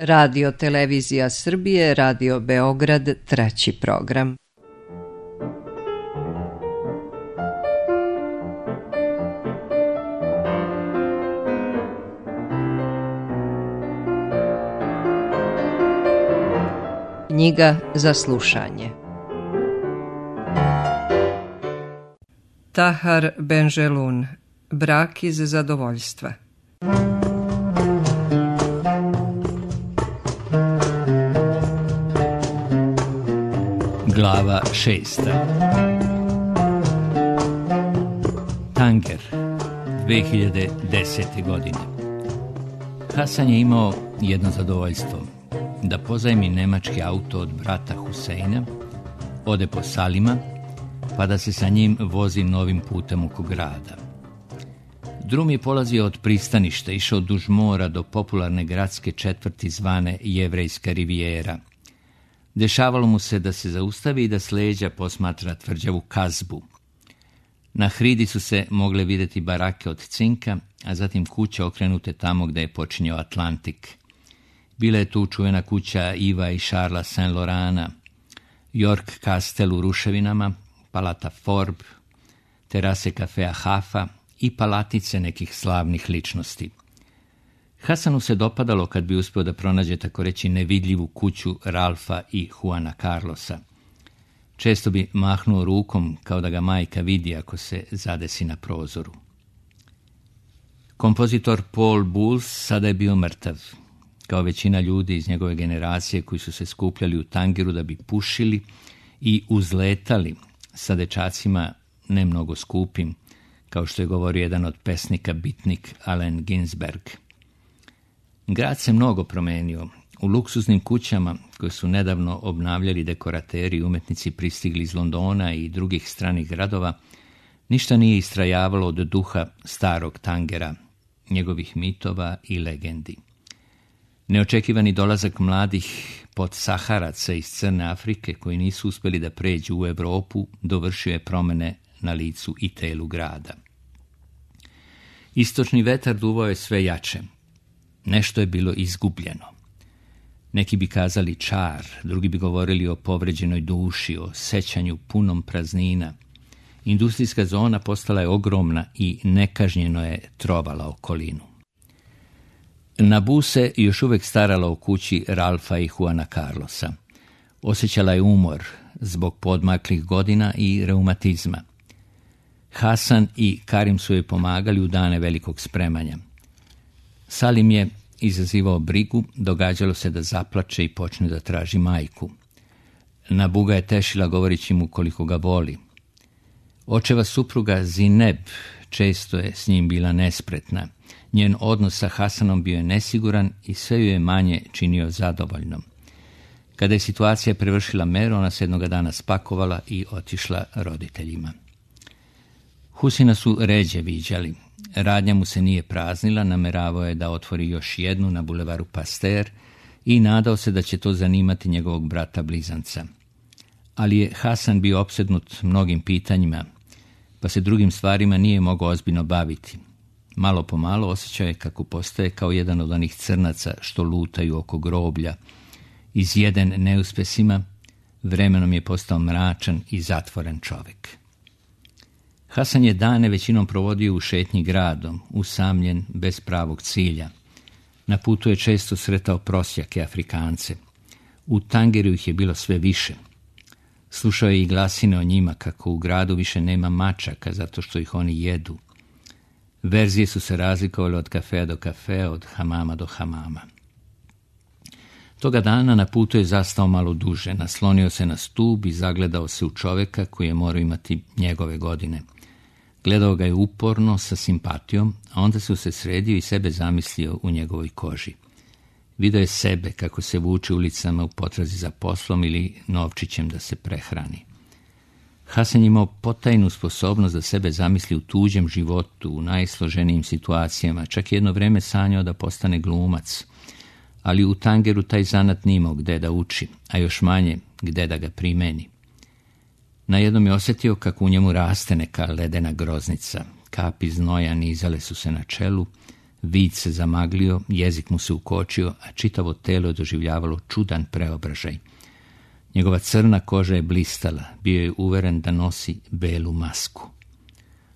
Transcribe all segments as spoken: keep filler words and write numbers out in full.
Radio Televizija Srbije, Radio Beograd, treći program. Knjiga za slušanje. Tahar Benjelun, Brak iz zadovoljstva. Glava šesta. Tanger, dve hiljade desete. godine. Hasan je imao jedno zadovoljstvo, da pozajmi nemački auto od brata Huseina, ode po Salima, pa da se sa njim vozi novim putem oko grada. Drum je polazio od pristaništa, išao duž mora do popularne gradske četvrti zvane Jevrejska rivijera. Dešavalo mu se da se zaustavi i da s leđa posmatra tvrđavu Kazbu. Na hridi su se mogle vidjeti barake od cinka, a zatim kuće okrenute tamo gde je počinjao Atlantik. Bila je tu čuvena kuća Iva i Šarla Saint-Laurana, York Kastel u ruševinama, Palata Forb, terase kafea Hafa i palatice nekih slavnih ličnosti. Hasanu se dopadalo kad bi uspio da pronađe tako reći nevidljivu kuću Ralfa i Juana Carlosa. Često bi mahnuo rukom kao da ga majka vidi ako se zadesi na prozoru. Kompozitor Paul Bowles sada je bio mrtav, kao većina ljudi iz njegove generacije koji su se skupljali u Tangeru da bi pušili i uzletali sa dečacima ne mnogo skupim, kao što je govorio jedan od pesnika bitnik Allen Ginsberg. Grad se mnogo promenio. U luksuznim kućama koje su nedavno obnavljali dekorateri i umetnici pristigli iz Londona i drugih stranih gradova, ništa nije istrajavalo od duha starog Tangera, njegovih mitova i legendi. Neočekivani dolazak mladih podsaharaca iz Crne Afrike koji nisu uspjeli da pređu u Evropu dovršio je promene na licu i telu grada. Istočni vetar duvao je sve jače. Nešto je bilo izgubljeno. Neki bi kazali čar, drugi bi govorili o povređenoj duši, o sećanju punom praznina. Industrijska zona postala je ogromna i nekažnjeno je trovala okolinu. Nabu se još uvek starala o kući Ralfa i Juana Carlosa. Osjećala je umor zbog podmaklih godina i reumatizma. Hasan i Karim su joj pomagali u dane velikog spremanja. Salim je izazivao brigu, događalo se da zaplače i počne da traži majku. Nabu ga je tešila govoreći mu koliko ga voli. Očeva supruga Zineb često je s njim bila nespretna. Njen odnos sa Hasanom bio je nesiguran i sve ju je manje činio zadovoljnom. Kada je situacija prevršila meru, ona se jednoga dana spakovala i otišla roditeljima. Husina su ređe viđali. Radnja mu se nije praznila, nameravao je da otvori još jednu na bulevaru Pasteur i nadao se da će to zanimati njegovog brata blizanca. Ali je Hasan bio opsednut mnogim pitanjima, pa se drugim stvarima nije mogao ozbiljno baviti. Malo po malo osjećao je kako postaje kao jedan od onih crnaca što lutaju oko groblja. Izjeden neuspesima, vremenom je postao mračan i zatvoren čovjek. Hasan je dane većinom provodio u šetnji gradom, usamljen, bez pravog cilja. Na putu je često sretao prosjake Afrikance. U Tangeru ih je bilo sve više. Slušao je i glasine o njima kako u gradu više nema mačaka zato što ih oni jedu. Verzije su se razlikovale od kafea do kafea, od hamama do hamama. Toga dana na putu je zastao malo duže, naslonio se na stub i zagledao se u čovjeka koji je morao imati njegove godine. Gledao ga je uporno, sa simpatijom, a onda se usredsredio i sebe zamislio u njegovoj koži. Video je sebe kako se vuče ulicama u potrazi za poslom ili novčićem da se prehrani. Hasan je imao potajnu sposobnost da sebe zamisli u tuđem životu, u najsloženijim situacijama, čak jedno vreme sanjao da postane glumac. Ali u Tangeru taj zanat nije imao gde da uči, a još manje gde da ga primeni. Najednom je osjetio kako u njemu raste neka ledena groznica. Kapi znoja nizale su se na čelu, Vid se zamaglio, jezik mu se ukočio, a čitavo telo je doživljavalo čudan preobražaj. Njegova crna koža je blistala, bio je uveren da nosi belu masku.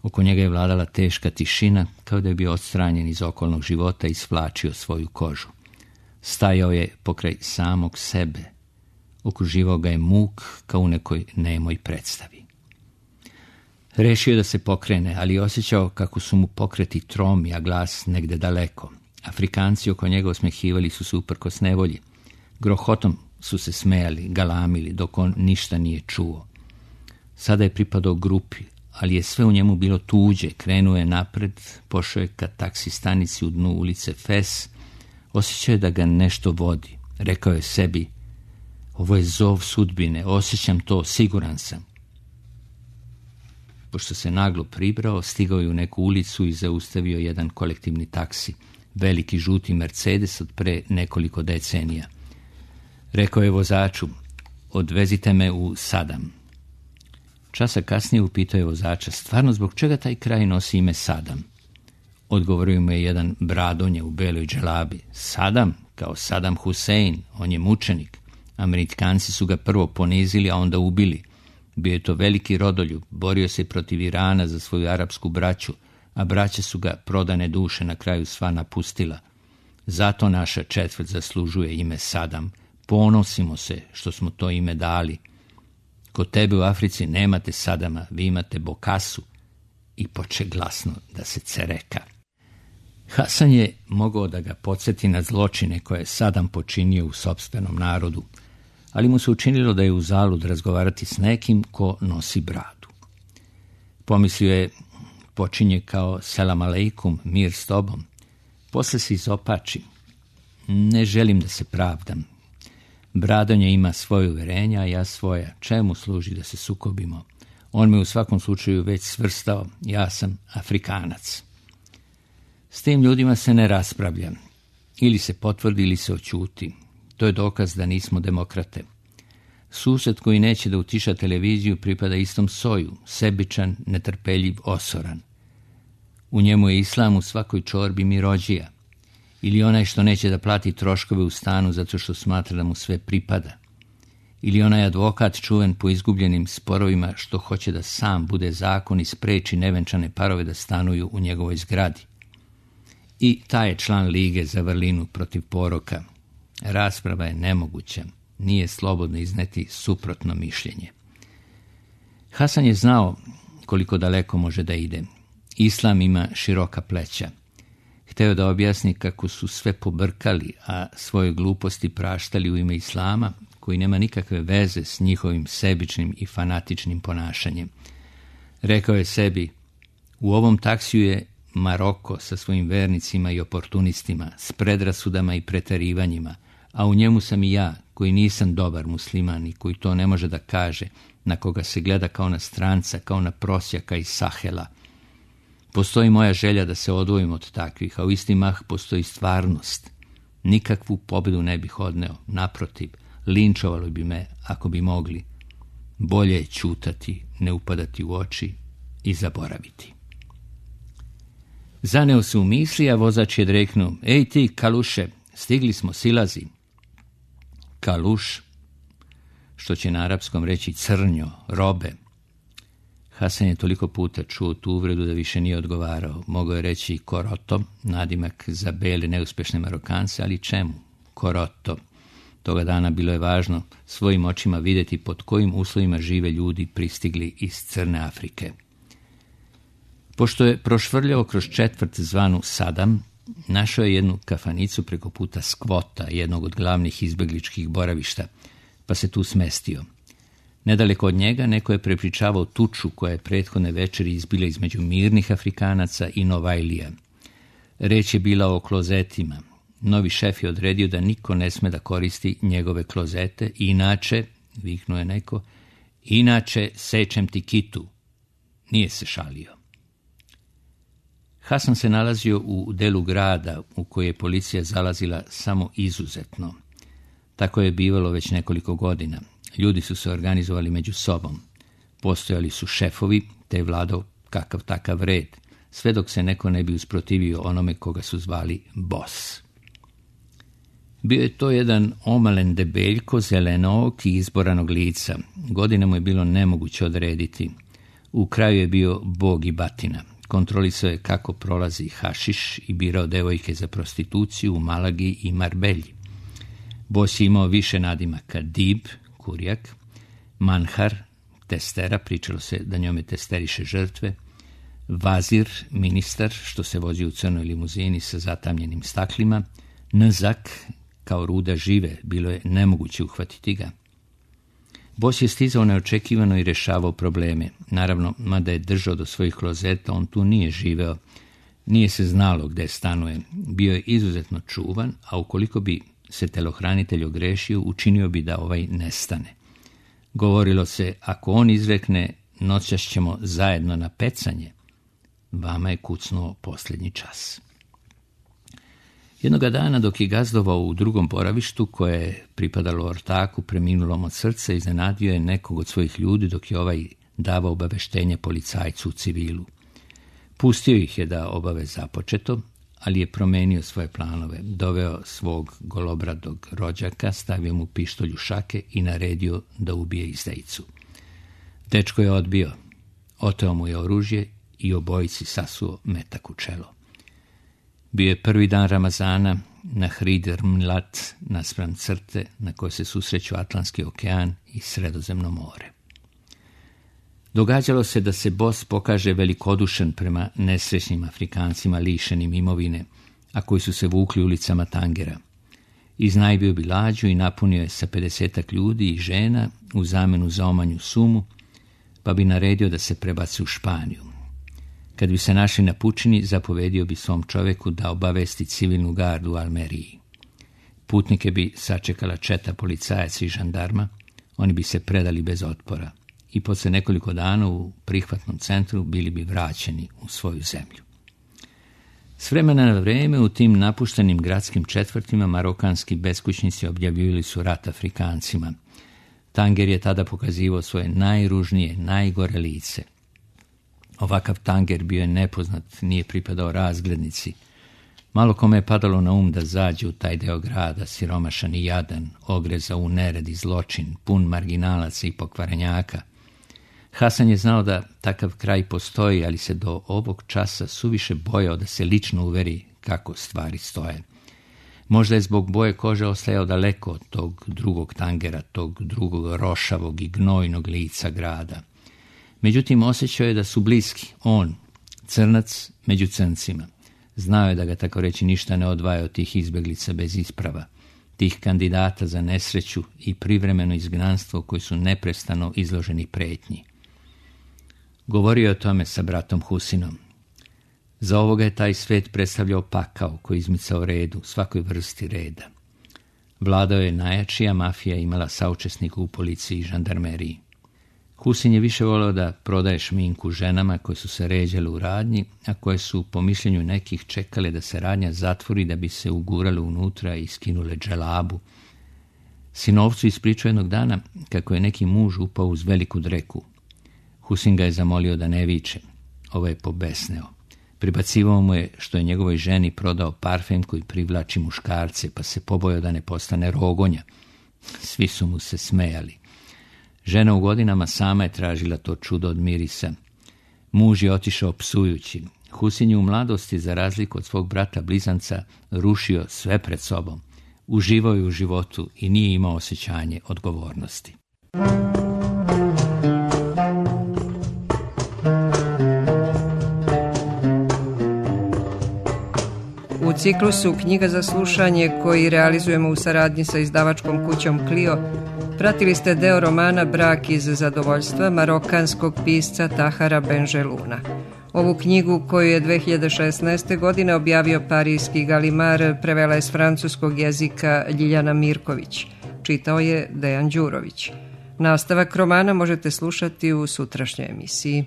Oko njega je vladala teška tišina, kao da je bio odstranjen iz okolnog života i svlačio svoju kožu. Stajao je pokraj samog sebe. Okruživao ga je muk kao u nekoj nemoj predstavi. Rešio da se pokrene, ali je osjećao kako su mu pokreti tromi, a glas negde daleko. Afrikanci oko njega osmehivali su se uprkos nevolji. Grohotom su se smejali, galamili, dok on ništa nije čuo. Sada je pripadao grupi, ali je sve u njemu bilo tuđe. Krenuo je napred, pošao je ka taksi stanici u dnu ulice Fes. Osjećao je da ga nešto vodi. Rekao je sebi, ovo je zov sudbine, osjećam to, siguran sam. Pošto se naglo pribrao, stigao je u neku ulicu i zaustavio jedan kolektivni taksi, veliki žuti Mercedes od pre nekoliko decenija. Rekao je vozaču, odvezite me u Sadam. Časa kasnije upitao je vozača, stvarno zbog čega taj kraj nosi ime Sadam? Odgovorio mu je jedan bradonje u beloj dželabi. Sadam, kao Sadam Husein, on je mučenik. Amerikanci su ga prvo ponizili, a onda ubili. Bio je to veliki rodoljub, borio se protiv Irana za svoju arapsku braću, a braće su ga prodane duše na kraju sva napustila. Zato naša četvrt zaslužuje ime Sadam. Ponosimo se što smo to ime dali. Kod tebe u Africi nemate Sadama, vi imate Bokasu. I poče glasno da se cereka. Hasan je mogao da ga podsjeti na zločine koje je Sadam počinio u sopstvenom narodu, ali mu se učinilo da je uzalud razgovarati s nekim ko nosi bradu. Pomislio je, počinje kao selam aleikum, mir s tobom. Posle se izopači. Ne želim da se pravdam. Bradonje ima svoje uverenja, a ja svoja. Čemu služi da se sukobimo? On me u svakom slučaju već svrstao. Ja sam Afrikanac. S tim ljudima se ne raspravlja. Ili se potvrdi ili se oćuti. To je dokaz da nismo demokrate. Sused koji neće da utiša televiziju pripada istom soju, sebičan, netrpeljiv, osoran. U njemu je islam u svakoj čorbi mirođija. Ili onaj što neće da plati troškove u stanu zato što smatra da mu sve pripada. Ili onaj advokat čuven po izgubljenim sporovima što hoće da sam bude zakon i spreči nevenčane parove da stanuju u njegovoj zgradi. I taj je član lige za vrlinu protiv poroka. Rasprava je nemoguća, nije slobodno izneti suprotno mišljenje. Hasan je znao koliko daleko može da ide. Islam ima široka pleća. Hteo da objasni kako su sve pobrkali, a svoje gluposti praštali u ime Islama, koji nema nikakve veze s njihovim sebičnim i fanatičnim ponašanjem. Rekao je sebi, u ovom taksiju je Maroko sa svojim vernicima i oportunistima, s predrasudama i preterivanjima, a u njemu sam i ja, koji nisam dobar musliman i koji to ne može da kaže, na koga se gleda kao na stranca, kao na prosjaka iz Sahela. Postoji moja želja da se odvojim od takvih, a u isti mah postoji stvarnost. Nikakvu pobedu ne bih odneo, naprotiv, linčovalo bi me ako bi mogli. Bolje je ćutati, ne upadati u oči i zaboraviti. Zaneo se u misli, a vozač je dreknuo, ej ti, kaluše, stigli smo, silazi. Kaluš, što će na arapskom reći crnjo, robe. Hasan je toliko puta čuo tu uvredu da više nije odgovarao. Mogao je reći koroto, nadimak za bele neuspešne Marokance, ali čemu? Koroto. Toga dana bilo je važno svojim očima vidjeti pod kojim uslovima žive ljudi pristigli iz Crne Afrike. Pošto je prošvrljao kroz četvrt zvanu Sadam, našao je jednu kafanicu preko puta Skvota, jednog od glavnih izbegličkih boravišta, pa se tu smestio. Nedaleko od njega neko je prepričavao tuču koja je prethodne večeri izbila između mirnih Afrikanaca i Novajlija. Reč je bila o klozetima. Novi šef je odredio da niko ne sme da koristi njegove klozete, inače, viknuo je neko, inače sečem ti kitu. Nije se šalio. Hasan se nalazio u delu grada u koje je policija zalazila samo izuzetno. Tako je bivalo već nekoliko godina. Ljudi su se organizovali među sobom. Postojali su šefovi, te je vladao kakav takav red. sve dok se neko ne bi usprotivio onome koga su zvali Bos. Bio je to jedan omalen debeljko, zelenog i izboranog lica. Godine mu je bilo nemoguće odrediti. U kraju je bio bog i batina. Kontrolisao je kako prolazi hašiš i birao devojke za prostituciju u Malagi i Marbelji. Bos je imao više nadimaka: Dib, kurijak, Manhar, testera, pričalo se da njome testeriše žrtve, Vazir, ministar, što se vozi u crnoj limuzini sa zatamljenim staklima, Nzak, kao ruda žive, bilo je nemoguće uhvatiti ga. Bos je stizao neočekivano i rešavao probleme. Naravno, mada je držao do svojih klozeta, on tu nije živeo, nije se znalo gde stanuje. Bio je izuzetno čuvan, a ukoliko bi se telohranitelj ogrešio, učinio bi da ovaj nestane. Govorilo se, ako on izrekne noćas ćemo zajedno na pecanje, vama je kucnuo posljednji čas. Jednoga dana, dok je gazdovao u drugom boravištu koje je pripadalo ortaku preminulom od srca, iznenadio je nekog od svojih ljudi dok je ovaj davao obaveštenje policajcu u civilu. Pustio ih je da obave započeto, ali je promenio svoje planove. Doveo svog golobradog rođaka, stavio mu pištolj u šake i naredio da ubije izdajicu. Dečko je odbio, oteo mu je oružje i obojici sasuo metak u čelo. Bio je prvi dan Ramazana na Hrider Mlat, naspram crte na kojoj se susreću Atlantski okean i Sredozemno more. Događalo se da se Bos pokaže velikodušan prema nesrećnim Afrikancima lišenim imovine, a koji su se vukli ulicama Tangera. Iznajmio bi lađu i napunio je sa pedesetak ljudi i žena u zamenu za omanju sumu, pa bi naredio da se prebaci u Španiju. Kad bi se našli na pučini, zapovedio bi svom čoveku da obavesti civilnu gardu u Almeriji. Putnike bi sačekala četa policajaca i žandarma, oni bi se predali bez otpora i posle nekoliko dana u prihvatnom centru bili bi vraćeni u svoju zemlju. S vremena na vreme u tim napuštenim gradskim četvrtima marokanski beskućnici objavljivali su rat Afrikancima. Tanger je tada pokazivao svoje najružnije, najgore lice. Ovakav Tanger bio je nepoznat, nije pripadao razglednici. Malo kome je padalo na um da zađe u taj deo grada, siromašan i jadan, ogreza u nered i zločin, pun marginalaca i pokvarenjaka. Hasan je znao da takav kraj postoji, ali se do ovog časa suviše bojao da se lično uveri kako stvari stoje. Možda je zbog boje kože ostajao daleko od tog drugog Tangera, tog drugog rošavog i gnojnog lica grada. Međutim, osjećao je da su bliski, on, crnac među crncima. Znao je da ga, tako reći, ništa ne odvaja od tih izbeglica bez isprava, tih kandidata za nesreću i privremeno izgnanstvo koji su neprestano izloženi pretnji. Govorio je o tome sa bratom Husinom. Za ovoga je taj svet predstavljao pakao koji izmicao redu, svakoj vrsti reda. Vladao je najjačija, mafija imala saučesnika u policiji i žandarmeriji. Husin je više voleo da prodaje šminku ženama koje su se ređale u radnji, a koje su, po mišljenju nekih, čekale da se radnja zatvori da bi se ugurale unutra i skinule dželabu. Sinovcu ispričao jednog dana kako je neki muž upao uz veliku dreku. Husin ga je zamolio da ne viče. Ovo je pobesneo. Pribacivao mu je što je njegovoj ženi prodao parfem koji privlači muškarce, pa se pobojao da ne postane rogonja. Svi su mu se smejali. Žena u godinama sama je tražila to čudo od mirisa. Muž je otišao psujući. Husin je u mladosti, za razliku od svog brata blizanca, rušio sve pred sobom. Uživao je u životu i nije imao osjećanje odgovornosti. U ciklusu Knjiga za slušanje, koji realizujemo u saradnji sa izdavačkom kućom Clio, pratili ste deo romana Brak iz zadovoljstva marokanskog pisca Tahara Benjeluna. Ovu knjigu, koju je dve hiljade šesnaeste. godine objavio parijski Galimar, prevela je s francuskog jezika Ljiljana Mirković. Čitao je Dejan Đurović. Nastavak romana možete slušati u sutrašnjoj emisiji.